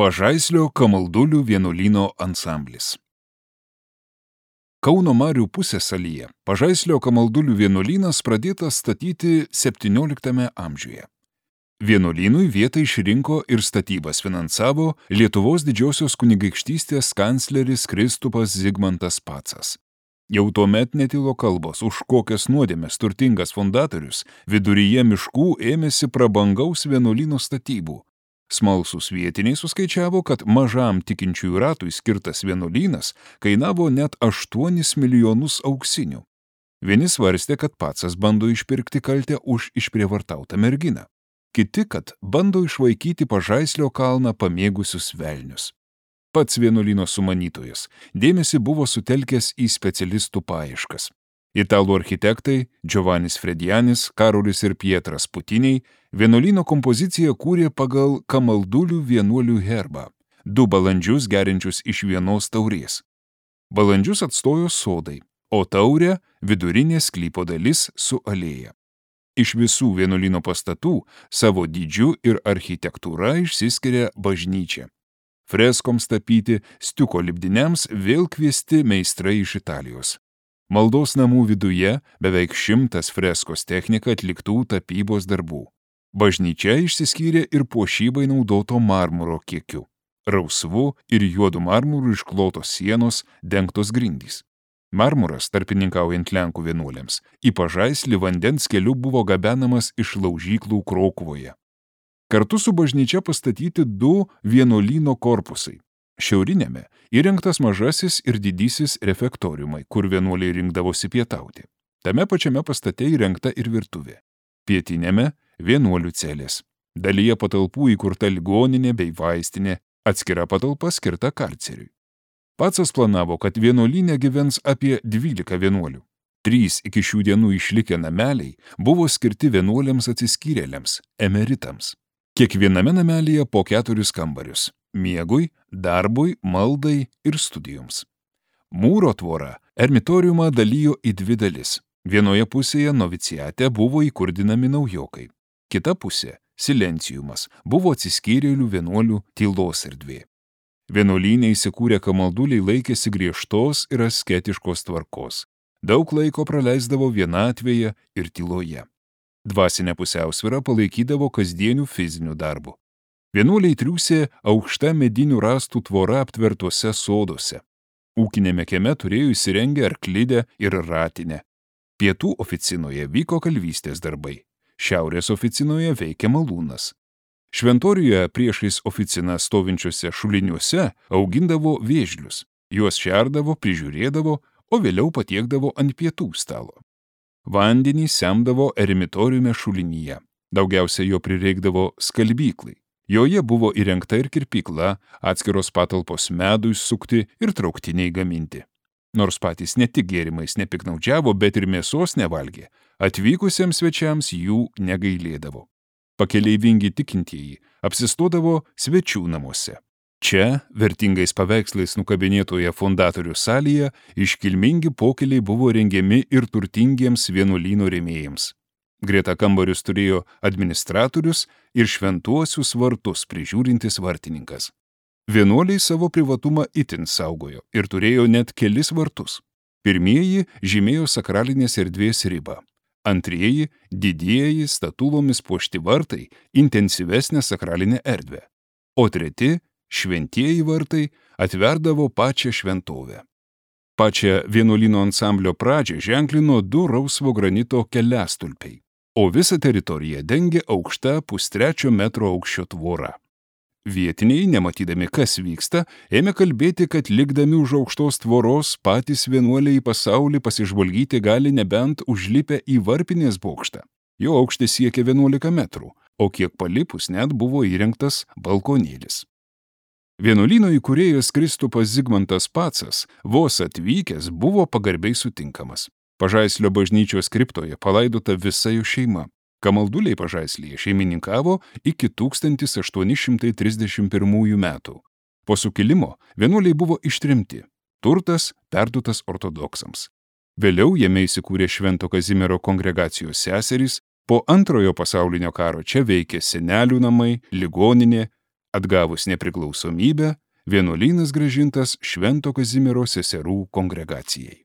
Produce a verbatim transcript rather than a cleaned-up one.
Pažaislio Kamaldulių vienuolyno ansamblis. Kauno Marių pusiasalyje Pažaislio Kamaldulių vienuolynas pradėtas statyti septynioliktame amžiuje. Vienuolynui vietą išrinko ir statybas finansavo Lietuvos didžiosios kunigaikštystės kancleris Kristupas Zigmantas Pacas. Jau tuomet netilo kalbos, už kokias nuodėmes turtingas fundatorius viduryje miškų ėmėsi prabangaus vienuolyno statybų. Smalsūs vietiniai suskaičiavo, kad mažam tikinčiųjų ratui skirtas vienuolynas kainavo net aštuonis milijonus auksinių. Vieni svarstė, kad Pacas bando išpirkti kaltę už išprievartautą merginą. Kiti, kad bando išvaikyti Pažaislio kalną pamėgusius velnius. Pats vienuolyno sumanytojas dėmesį buvo sutelkęs į specialistų paieškas. Italų architektai Giovannis Fredianis, Karolis ir Pietras Putiniai vienuolyno kompoziciją kūrė pagal Kamaldulių vienuolių herbą, du balandžius geriančius iš vienos taurės. Balandžius atstojo sodai, o taurė vidurinė sklypo dalis su alėja. Iš visų vienuolyno pastatų savo dydžiu ir architektūra išsiskiria bažnyčia. Freskoms tapyti, stiuko lipdiniams vėl kviesti meistrai iš Italijos. Maldos namų viduje beveik šimtas freskos technika atliktų tapybos darbų. Bažnyčia išsiskyrė ir puošybai naudoto marmuro kiekiu. Rausvu ir juodu marmuru išklotos sienos, dengtos grindys. Marmuras, tarpininkaujant Lenkų vienuoliams, į Pažaislį vandens keliu buvo gabenamas iš laužyklų Krokuvoje. Kartu su bažnyčia pastatyti du vienuolyno korpusai. Šiaurinėme įrengtas mažasis ir didysis refektoriumai, kur vienuoliai rinkdavosi pietauti. Tame pačiame pastate įrengta ir virtuvė. Pietinėme vienuolių celės. Dalyje patalpų įkurta ligoninė bei vaistinė, atskira patalpa skirta karceriui. Pacas planavo, kad vienuolyne gyvens apie dvylika vienuolių. Trys iki šių dienų išlikę nameliai buvo skirti vienuoliams atsiskyrėliams, emeritams. Kiekviename namelyje po keturis kambarius – miegui, darbui, maldai ir studijoms. Mūro tvora ermitoriumą dalijo į dvi dalis. Vienoje pusėje noviciate buvo įkurdinami naujokai. Kita pusė – silenciumas – buvo atsiskyrėlių vienuolių tylos erdvė. Vienuolyne įsikūrę kamalduliai laikėsi griežtos ir asketiškos tvarkos. Daug laiko praleisdavo vienatvėje ir tyloje. Dvasinę pusiausvyrą palaikydavo kasdienių fizinių darbų. Vienuoliai triūsė aukšta medinių rąstų tvora aptvertuose soduose. Ūkinėme kieme turėjo įsirengę arklidę ir ratinę. Pietų oficinoje vyko kalvystės darbai. Šiaurės oficinoje veikė malūnas. Šventorijoje priešais oficiną stovinčiuose šuliniuose augindavo vėžlius. Juos šerdavo, prižiūrėdavo, o vėliau patiekdavo ant pietų stalo. Vandenį semdavo eremitoriume šulinyje. Daugiausia jo prireikdavo skalbyklai. Joje buvo įrengta ir kirpykla, atskiros patalpos medui sukti ir trauktiniai gaminti. Nors patys ne tik gėrimais nepiknaudžiavo, bet ir mėsos nevalgė, atvykusiems svečiams jų negailėdavo. Pakeleivingi tikintieji apsistodavo svečių namuose. Čia, vertingais paveikslais nukabinėtoje fundatorių salėje, iškilmingi pokeliai buvo rengiami ir turtingiems vienuolyno rėmėjams. Greta kambarius turėjo administratorius ir šventuosius vartus prižiūrintis vartininkas. Vienuoliai savo privatumą itin saugojo ir turėjo net kelis vartus. Pirmieji žymėjo sakralinės erdvės ribą. Antrieji – didieji statulomis puošti vartai intensyvesnę sakralinę erdvę. O treti – šventieji vartai atverdavo pačią šventovę. Pačią vienuolyno ansamblio pradžią ženklino du rausvo granito keliastulpiai, o visą teritoriją dengė aukšta pustrečio metro aukščio tvora. Vietiniai, nematydami, kas vyksta, ėmė kalbėti, kad likdami už aukštos tvoros patys vienuoliai į pasaulį pasižvalgyti gali nebent užlipę į varpinės bokštą. Jo aukštis siekia vienuolika metrų, o kiek palipus net buvo įrengtas balkonėlis. Vienuolyno įkūrėjas Kristupas Zigmantas Pacas vos atvykęs buvo pagarbiai sutinkamas. Pažaislio bažnyčios kriptoje palaidota visa jo šeima. Kamalduliai Pažaislyje šeimininkavo iki tūkstantis aštuoni šimtai trisdešimt pirmųjų metų. Po sukilimo vienuoliai buvo ištremti. Turtas perduotas ortodoksams. Vėliau jame įsikūrė Švento Kazimiero kongregacijos seserys. Po antrojo pasaulinio karo čia veikė senelių namai, ligoninė, Atgavus nepriklausomybę, vienuolynas grąžintas Švento Kazimiero seserų kongregacijai.